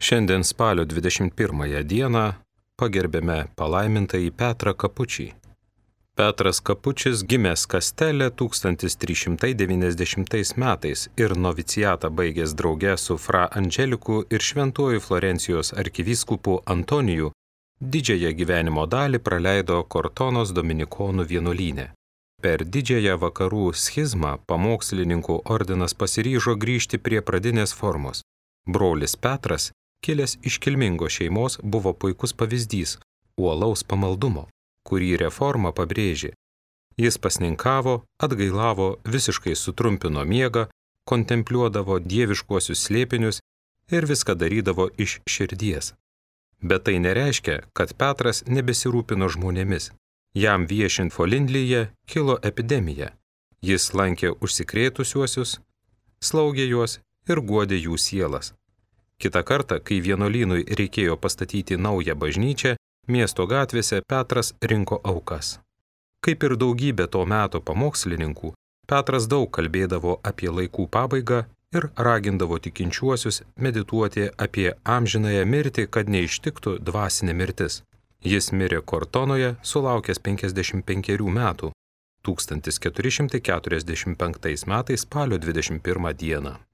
Šiandien spalio 21 dieną pagerbėme palaimintąjį Petrą Kapučį. Petras Kapučis gimęs Kastelė 1390 metais ir novicijatą baigęs drauge su Fra Angeliku ir šventuoju Florencijos arkivyskupu Antoniju, didžiąją gyvenimo dalį praleido Kortonos dominikonų vienuolyne. Per didžiąją vakarų schizmą pamokslininkų ordinas pasiryžo grįžti prie pradinės formos. Brolis Petras, kilęs iš kilmingos šeimos, buvo puikus pavyzdys uolaus pamaldumo, kurį reforma pabrėžė. Jis pasninkavo, atgailavo, visiškai sutrumpino miegą, kontempliuodavo dieviškuosius slėpinius ir viską darydavo iš širdies. Bet tai nereiškia, kad Petras nebesirūpino žmonėmis. Jam viešint Folindlyje kilo epidemija. Jis lankė užsikrėtusiuosius, slaugė juos ir guodė jų sielas. Kitą kartą, kai vienuolynui reikėjo pastatyti naują bažnyčią, miesto gatvėse Petras rinko aukas. Kaip ir daugybė to meto pamokslininkų, Petras daug kalbėdavo apie laikų pabaigą ir ragindavo tikinčiuosius medituoti apie amžinąją mirtį, kad neištiktų dvasinė mirtis. Jis mirė Kortonoje, sulaukęs 55 metų, 1445 metais spalio 21 dieną.